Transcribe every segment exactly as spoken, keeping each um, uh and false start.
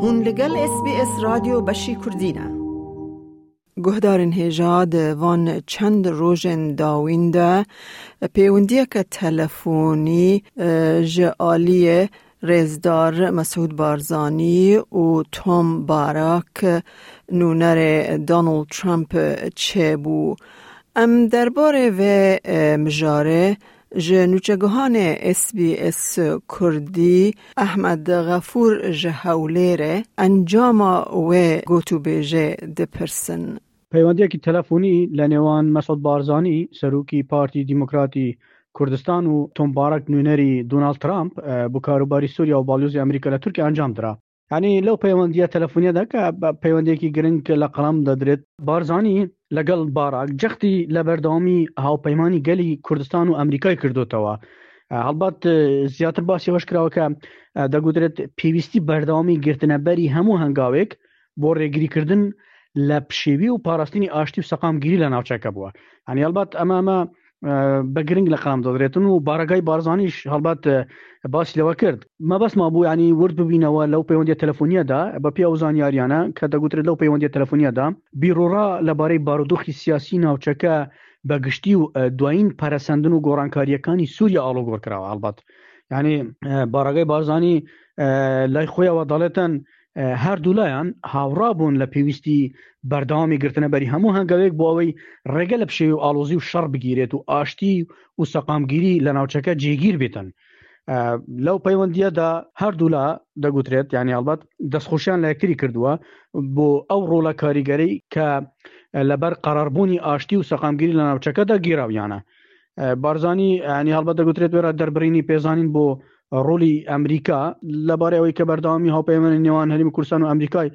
Hûn li gel S B S Radyo beşî Kurdî ne. Guhdarên hêja, di van çend rojên dawîn de pêwendiyeke telefonî ji aliyê rêzdar Mesûd Barzanî û Tom Barrack, nûnerê Donald Trump, çêbû. Em derbarê vê mijarê ji nûçegihanê S B S Kurdî Ehmed Xefûr ji Hewlêrê encama wê gotûbêjê dipirsin. پەیوەندیەکی تەلەفۆنی لە نێوان مەسعود بارزانی، سەرۆکی پارتی دیموکراتی کوردستان، و تۆم باراک، نوێنەری دۆناڵد ترامپ بۆ کاروباری سووریا و باڵیۆزی ئەمریکا لە تورکیا، ئەنجام درا. یعنی لەو پەیوەندیە تەلەفۆنیەدا کە پەیوەندیەکی گرنگ لە قەڵەم دەدرێت، بارزانی لەگەڵ باراک جەختی لە بەردەوامی هاوپەیمانی گەلی کوردستان و ئەمریکای کردوتەوە. هەڵبەت زیاتر باسی ئەوەش کراوە کە دەگوترێت پێویستی بەردەوامی گرتنەبەری هەموو هەنگاوێک بۆ ڕێگریکردن لە پشێوی و پاراستنی ئاشتی و سەقامگیری لە ناوچەکە بووە. هەنی هەڵبەت ئەمە ئەمە بە گرنگ لە قەڵەم دەدرێتن و بارەگای بارزانیش هەڵبەت باسی لەوە کرد. مەبەستما بوو ینی ورد ببینەوە لەو پەیوەندی تەلەفۆنیەدا، بە پێ ئەو زانیاریانە کە دەگوترێت لەو پەیوەندی تەلەفۆنیەدا بیرۆڕا لەبارەی بارودۆخی سیاسی ناوچەکە بە گشتی و دوایین پەرەسەندن و گۆڕانکاریەکانی سووریا ئاڵۆگۆڕ کراوە. هەڵبەت یعنی بارەگای بارزانی لای خۆیەوە دەڵێتن هەردوو لایان هاوڕا بوون لە پێویستی بەردەوامی گرتنەبەری هەموو هەنگاوێک بۆ ئەوەی ڕێگە لە پشێوی و ئاڵۆزی و شەڕ بگیرێت و ئاشتی و سەقامگیری لە ناوچەکە جێگیر بێتن. لەو پەیوەندیەدا هەردوولا دەگوترێت یعنی هەڵبەت دەستخۆشیان لە یەکتری کردووە بۆ ئەو ڕۆڵە کاریگەری کە لەبەر قەراربوونی ئاشتی و سەقامگیری لە ناوچەکەدا گیراویانە. بارزانی ینی هەڵبەت دەگوترێت وێرا دەربڕینی پێزانین بۆ ڕۆلی ئەمریکا لەبارەی ئەوەی کە بەردەوامی هاوپەیمانی نێوان هەرێمی کوردستان و ئەمریکای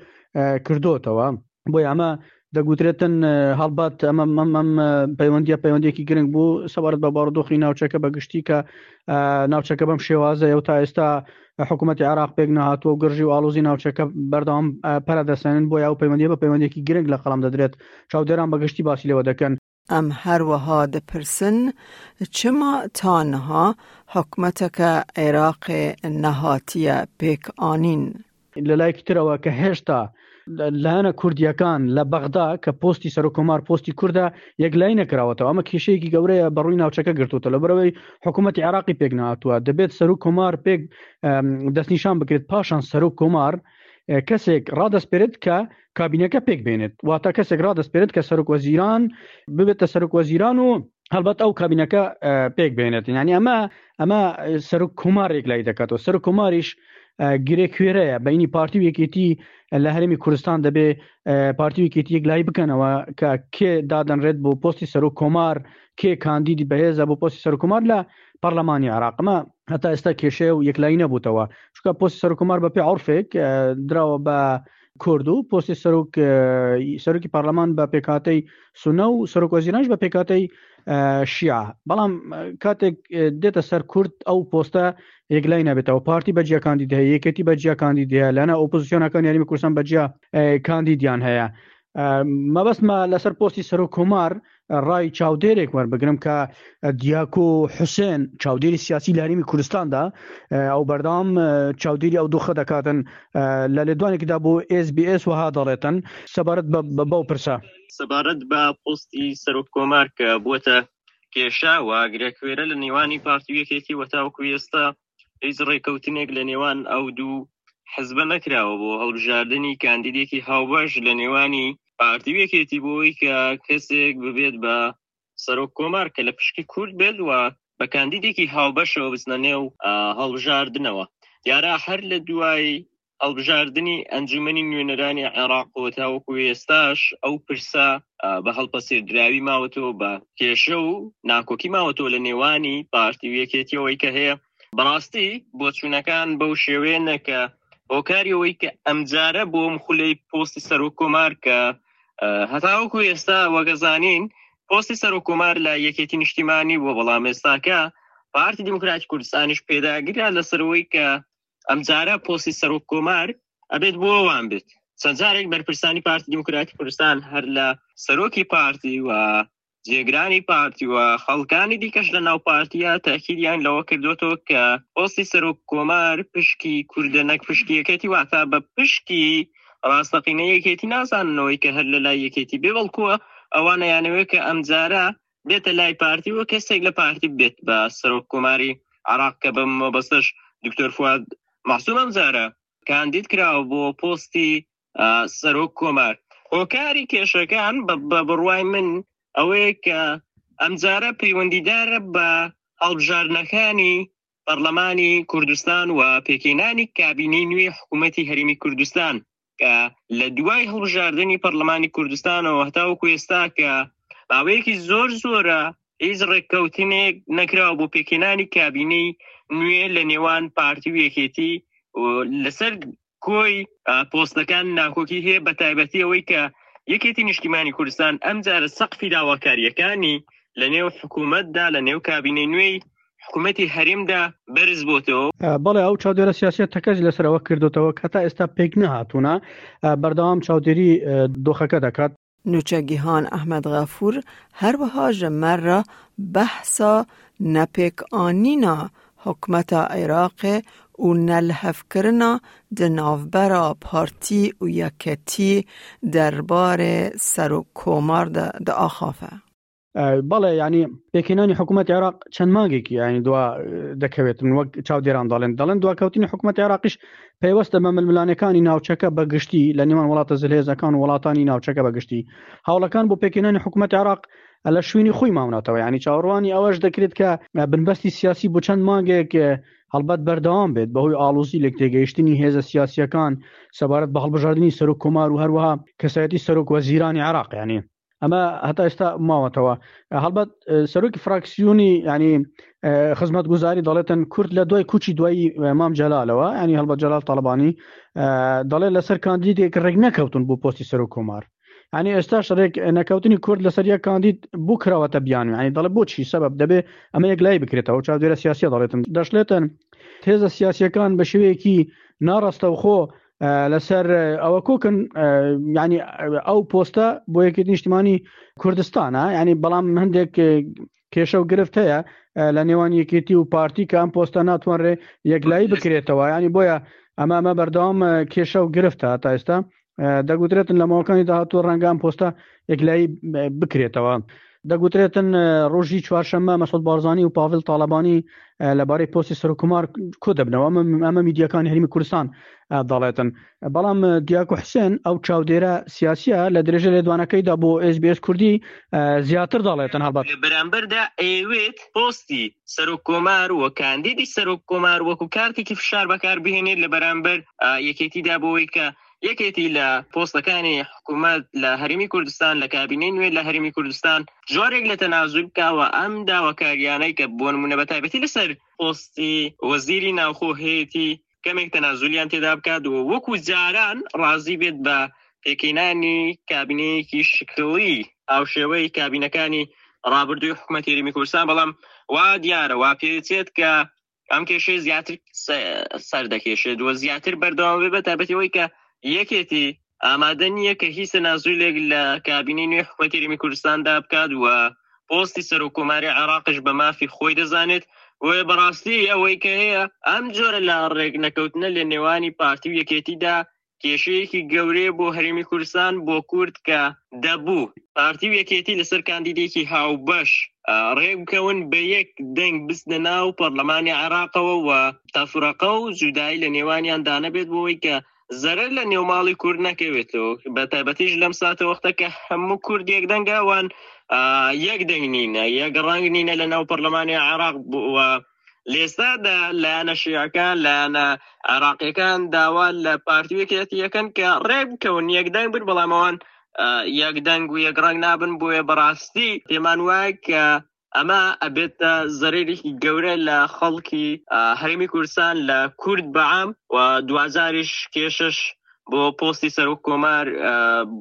کردوتەوە. بۆی ئەمە دەگوترێتن هەڵبەت ئەمە ئەم پەیوەندیە پەیوەندێکی گرنگ بوو سەبارەت بە بارودۆخی ناوچەکە بە گشتی، کە ناوچەکە بەم شێوازە و تا ئێستا حکوومەتی عێراق پێک نەهاتووە و گرژی و ئاڵۆزی ناوچەکە بەردەوام پەرە دەسێنن. بۆ ئەو پەیوەندی بە پەیوەندێکی گرنگ لە قەڵەم دەدرێت، چاودێران بەگشتی باسی لێوە دەکەن. Em herwiha dipirsin çima ta niha حکومەتەکە عێراقê nehatiye pêk anîn. لە لایەکی ترەوە کە هێشتا لایەنە کوردیەکان لە بەغدا کە پۆستی سەرۆک کۆمار پۆستی کوردە یەکلایی نەکراوەتەوە، ئەمە کێشەیەکی گەورەیە بەڕووی ناوچەکە گرتوتە. لەبەرەوەی حکوومەتی عێراقی پێک نهاتووە، دەبێت سەرۆک کۆمار پێک دەستنیشان بکرێت، پاشان سەرۆک کۆمار کەسێک ڕادەسپێرێت کە کابینەکە پێک بێنێت، واتە کەسێک ڕادەسپێرێت کە سەرۆک وەزیران ببێتە سەرۆک وەزیران و هەڵبەت ئەو کابینەکە پێک بێنێت. یعنی ئەمە ئەمە سەرۆک کۆمارێک یەکلایی دەکاتەوە. سەرۆک کۆماریش گرێ کوێرەیە بینی پارتی و یەکێتی لە هەرێمی کوردستان. دەبێ پارتی و یەکێتی یەکلایی بکەنەوە کە کێ دادەنرێت بۆ پۆستی سەرۆک کۆمار، کێ کاندیدی بەهێزە بۆ پۆستی سەرۆک کۆمار لە پەرلەمانی عێراق. ئەمە هەتا ئێستا کێشەیە و یەکلایی نەبووتەوە، چونکە پۆستی سەرۆک کۆمار بە پێ عورفێک دراوە بە کورد و پۆستی سەرۆک سەرۆکی پەرلەمان بە پێکهاتەی سونە و سەرۆک وەزیرانش بە پێکهاتەی شیعە. بەڵام کاتێک دێتە سەر کورد ئەو پۆستە یەکلای نابێتەوە. پارتی بە جیا کاندید هەیە، یەکێتی بە جیا کاندید هەیە، لەنە ئۆپۆزیسیۆنەکان هەرێمی کوردستان بە جیا کاندیدیان هەیە. مەبەستمە لەسەر پۆستی سەرۆک کۆمار ڕای چاودێرێک وەربگرم کە دیاکۆ حوسێن، چاودێری سیاسی لە هەرێمی کوردستاندا، ئەو بەردەوام چاودێری ئەو دۆخە دەکاتن، لە لێدوانێکدا بۆ S B S وەها دەڵێتن سەبارەت بەو پرسە. سەبارەت بە پۆستی سەرۆک کۆمار کە بووەتە کێشە و گرێکوێرە لە نێوانی پارتی و یەکێتی و تاوەکو ئێستا هیچ ڕێککەوتنێک لە نێوان ئەو دوو حزبە نەکراوە بۆ هەڵبژاردنی کاندیدێکی هاوبەش لە نێوانی پارتی و یەکێتی بۆی کە کەسێک ببێت بە سەرۆک کۆمار کە لە پشکی کورد بێت و بە کاندیدێکی هاوبەشەوە بچنە نێو هەڵبژاردنەوە. دیارە هەر لە دوای هەڵبژاردنی ئەنجومەنی نوێنەرانی عێراق و تاوەکو ئێستاش ئەو پرسە بە هەڵپەسێردراوی ماوەتەوە، بە کێشە و ناکۆکی ماوەتەوە لە نێوانی پارتی و یەکێتیەوەی کە هەیە. بەڕاستی بۆچوونەکان بەو شێوەیە کە هۆکاری ئەوەی کە ئەمجارە بۆم خولەی پۆستی سەرۆک کۆمار کە هەتاوەکو ئێستا وەگەزانین پۆستی سەرۆک کۆمار لە یەکێتی نیشتیمانی بووە، بەڵام ئێستاکە پارتی دیموکراتی کوردستانیش پێداگرە لەسەرەوەی کە ئەمجارە پۆستی سەرۆک کۆمار ئەبێت بۆ ئەوان بێت. چەند جارێک بەرپرسانی پارتی دیموکراتی کوردستان، هەر لە سەرۆکی پارتی و جێگرانی پارتی و خەڵکانی دیکەش لە ناو پارتیە تاکیدیان لەوە کردوێتەوە کە پۆستی سەرۆک کۆمار پشکی کوردە نەک پشکی یەکێتی، واتە بە پشکی ڕاستەقینە یەکێتی نازاننەوەی کە هەر لە لای یەکێتی بێ، بەڵکووە ئەوانە یانەوەی کە ئەمجارە بێتە لای پارتی و کەسێک لە پارتی بێت بە سەرۆک کۆماری عراق، کە بەم مەبەستەش دکتۆر فواد مەعسوم ئەمجارە کاندید کراوە بۆ پۆستی سەرۆک کۆمار. هۆکاری کێشەکان بە بڕوای من ئەوەیە کە ئەمجارە پەیوەندیدارە بە هەڵبژاردنەکانی پەرلەمانی کوردستان و پێکهێنانی کابینەی نوێی حکوومەتی هەرێمی کوردستان، کە لە دوای هەڵبژاردنی پەرلەمانی کوردستانەوە هەتاوەکو ئێستا کە ماوەیەکی زۆر زۆرە هیچ ڕێککەوتنێک نەکراوە بۆ پێکهێنانی کابینەی نوێ لە نێوان پارتی و یەکێتی لەسەر کۆی پۆستەکان ناکۆکی هەیە، بە تایبەتی ئەوەی کە یەکێتی نیشتیمانی کوردستان ئەمجارە سەقفی داواکاریەکانی لە نێو حکوومەتدا لە نێو کابینەی نوێی حکوومەتی هەرێمدا بەرز بۆتەوە. بەڵێ، ئەو چاودێرە سیاسیە تەکەز لەسەر ئەوە کردوتەوە کە تا ئێستا پێک نەهاتوونە، بەردەوام چاودێری دۆخەکە دەکات. نوچەگیهان ئەحمەد غەفور هەروەها ji me re behsa nepêkanîna hikûmeta Iraqê û nelihevkirina di navbera Partî û Yekîtiyê derbarê Serokkomar de diaxife. بەڵێ، ینی پێکهێنانی حکوومەتی عێراق چەند مانگێکی ینی دوا دەکەوێتن، وەک چاودێران دەڵێن دەڵێن دواکەوتنی حکوومەتی عێراقیش پەیوەستە بە ململانەکانی ناوچەکە بە گشتی لە نێوان وڵاتە زلهێزەکان و وڵاتانی ناوچەکە بە گشتی. هەوڵەکان بۆ پێکهێنانی حکوومەتی عێراق لە شوێنی خۆی ماونەتەوە، ینی چاوەڕوانی ئەوەش دەکرێت کە بنبەستی سیاسی بۆ چەند مانگێک هەڵبەت بەردەوام بێت بەهۆی ئاڵۆزی لێک تێگەیشتنی هێزە سیاسیەکان سەبارەت بە هەڵبژاردنی سەرۆک کۆمار و هەروەها کەسایەتی سەرۆک وەزیرانی عێراق. ینی ئەمە هەتا ئێستا ماوەتەوە. هەڵبەت سەرۆکی فراکسیۆنی ینی خزمەتگوزاری دەڵێتن کورد لە دوای کوچی دوایی مام جەلالەوە، ینی هەڵبەت جەلال تاڵەبانی دەڵێت لەسەر کاندیدێک ڕێک نەکەوتون بۆ پۆستی سەرۆک کۆمار. ینی ئێستاش ڕێک نەکەوتنی کورد لەسەر یەک کاندید بۆ کراوەتە بیانوو، ینی دەڵێ بۆچی سەبەب دەبێ ئەمە یەک لای بکرێتەوە. چاودێرە سیاسیە دەڵێتن دەشڵێتن هێزە سیاسیەکان بە شێوەیەکی ناڕاستەوخۆ لەسەر ئەوە کۆکن، ینی ئەو پۆستە بۆ یەکێتی نیشتیمانی کوردستانە، ینی بەڵام هەندێک کێشە و گرفت هەیە لە نێوان یەکێتی و پارتی کە ئەم پۆستە ناتوانرێ یەکلایی بکرێتەوە، ینی بۆیە ئەمە ئەمە بەردەوام کێشە و گرفتە تا ئێستا. دەگوترێتن لە ماوەکانی داهاتوو ڕەنگە ئەم پۆستە یەکلایی بکرێتەوە. دەگوترێتن ڕۆژی چوارشەممە مەسعود بارزانی و پاڤل تاڵەبانی لەبارەی پۆستی سەرۆککۆمار کۆ دەبنەوە، ئەمە میدیاکانی هەرێمی کوردستان دەڵێتن. بەڵام دیاکۆ حوسێن ئەو چاودێرە سیاسیە لە درێژە لێدوانەکەیدا بۆ ئێس بی ئێس کوردی زیاتر دەڵێتن هەڵبەت لە بەرامبەردا ئەیەوێت پۆستی سەرۆک کۆمار و کاندیدی سەرۆک کۆمار وەکو کارتێکی فشار بەکار بهێنێت لە بەرامبەر یەکێتیدا، بۆ ئەوەی کە یەکێتی لە پۆستەکانی حکوومەت لە هەرێمی کوردستان لە کابینەی نوێ لە هەرێمی کوردستان جۆرێک لە تەنازول بکاوە ئەم داواکاریانەی کە بۆ نمونە بە تایبەتی لەسەر پۆستی وەزیری ناوخۆ هەیەتی کەمێک تەنازولیان تێدا بکات و وەکو جاران ڕازی بێت بە پێکهێنانی کابینەیەکی شکڵی هاوشێوەی کابینەکانی ڕابردووی حکوومەتی هەرێمی کوردستان. بەڵام وا دیارە وا پێچێت کە ئەم کێشەی زیاتر سەر دەکێشێت و زیاتر بەردەوام بێت، بە تایبەتی ئەوەی کە یەکێتی ئامادە نییە کە هیچ تەنازولێک لە کابینەی نوێی حکوومەتی هەرێمی کوردستاندا بکات و پۆستی سەرۆک کۆماری عێراقش بە مافی خۆی دەزانێت. بۆیە بەڕاستی ئەوەی کە هەیە ئەم جۆرە لە ڕێک نەکەوتنە لە نێوانی پارتی و یەکێتیدا کێشەیەکی گەورەیە بۆ هەرێمی کوردستان بۆ کورد کە دەبوو پارتی و یەکێتی لەسەر کاندیدێکی هاوبەش ڕێک بکەون بە یەک دەنگ بچنە ناو پەرلەمانی عێراقەوە و تەفرەقە و جودایی لە نێوانیان دانەبێت بۆ ئەوەی کە زەرەر لە نێوماڵی کورد نەکەوێتەوە، بە تایبەتیش لەم ساتە وەختە کە هەموو کورد یەک دەنگە، ئەوان یەک دەنگ نینە، یەک ڕەنگ نینە لە ناو پەرلەمانی عێراق و لێستادا لایەنە شیعەکان لایەنە عێراقیەکان داوا لە پارتی و یەکێتیەکەن کە ڕێک بکەون یەک دەنگ بن، بەڵام ئەوان یەک دەنگ و یەک ڕەنگ نابن. بۆیە بەڕاستی پێمان وایە کە ئەمە ئەبێتە زەرەرێکی گەورە لە خەڵکی هەرێمی کوردستان لە کورد بەعام و دوازاریش کێشەش بۆ پۆستی سەرۆک کۆمار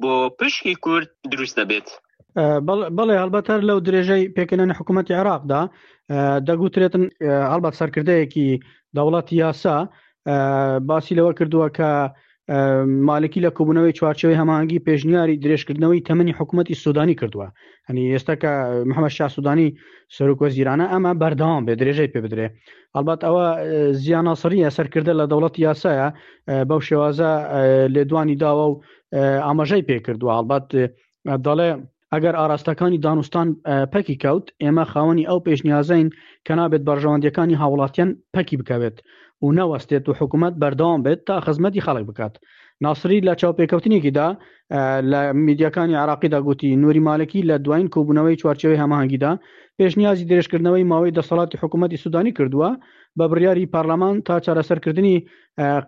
بۆ پشکی کورد دروست دەبێت. بەڵێ، هەڵبەت هەر لەو درێژەی پێکهێنانی حکوومەتی عێراقدا دەگوترێتن هەڵبەت سەرکردەیەکی دەوڵەتی یاسا باسی لەوە کردووە کە مالکی لە کۆبوونەوەی چوارچێوەی هەماهەنگی پێشنیاری درێژکردنەوەی تەمەنی حکوومەتی سوودانی کردووە. هەنی ئێستا کە محەممەد شا سوودانی سەرۆک وەزیرانە ئەمە بەردەوام بێ، درێژەی پێ بدرێ. ئەلبەت ئەوە زیا ناسریە سەرکردە لە دەوڵەتی یاسایە بەو شێوازە لێدوانی داوە و ئاماژەی پێ کردووە. ئەلبەت دەڵێ ئەگەر ئاراستەکانی دانوستان پەکی کەوت، ئێمە خاوەنی ئەو پێشنیازین کە نابێت بەرژەوەندیەکانی هاوڵاتیان پەکی بکەوێت و نەوەستێت و حکوومەت بەردەوام بێت تا خزمەتی خەڵک بکات. ناسری لە چاوپێکەوتنێکیدا لە میدیاکانی عراقیدا گوتی نوری مالکی لە دوایین کۆبوونەوەی چوارچێوەی هەماهەنگیدا پێشنیازی درێژکردنەوەی ماوەی دەسەڵاتی حکوومەتی سوودانی کردووە بە بڕیاری پەرلەمان تا چارەسەرکردنی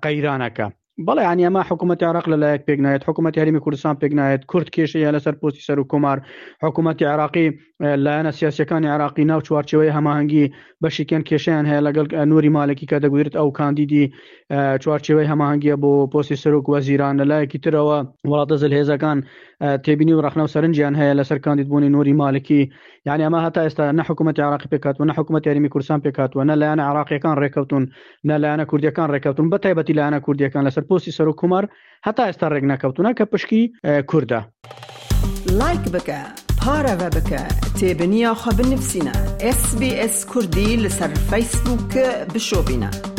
قەیرانەکە. بەڵێ یعنی ئەمە حکوومەتی عراق لەلایەک پێک نایەت، حکوومەتی هەرێمی کوردستان پێک نایەت، کورد کێشەیە لەسەر پۆستی سەر و کۆمار، حکوومەتی عراقی لایەنە سیاسیەکانی عراقی ناو چوارچێوەی هەماهەنگی بەشێکیان کێشیان هەیە لەگەڵ نوری مالکی کە دەگوترێت ئەو کاندیدی چوارچێوەی هەماهەنگیە بۆ پۆستی سەرۆک وەزیران. لەلایەکی ترەوە وڵاتە زلهێزەکان تێبینی و ڕەخنە و سەرنجیان هەیە لەسەر کاندیدبوونی نوری مالکی. یعنی ئەمە هەتا ئێستا نە حکوومەتی عراقی پێکهاتووە، نە حکوومەتی هەرێمی کوردستان پێکهاتووە، نە لایەنە عراقیەکان ڕێککەوتون، نە لایەنە کوردیەکان ڕێککەوتون، بە تایبەتی لایەنە کوردیەکان لەسەر پۆستی سەرۆک کۆمار هەتا ئێستا ڕێک نەکەوتونە کە پشکی کوردە. لایک بکە، پارەوە بکە، تێبنییا خە بنفسینە. ئس بی ئس کوردی لەسەر فەیسبووک بشۆبینە.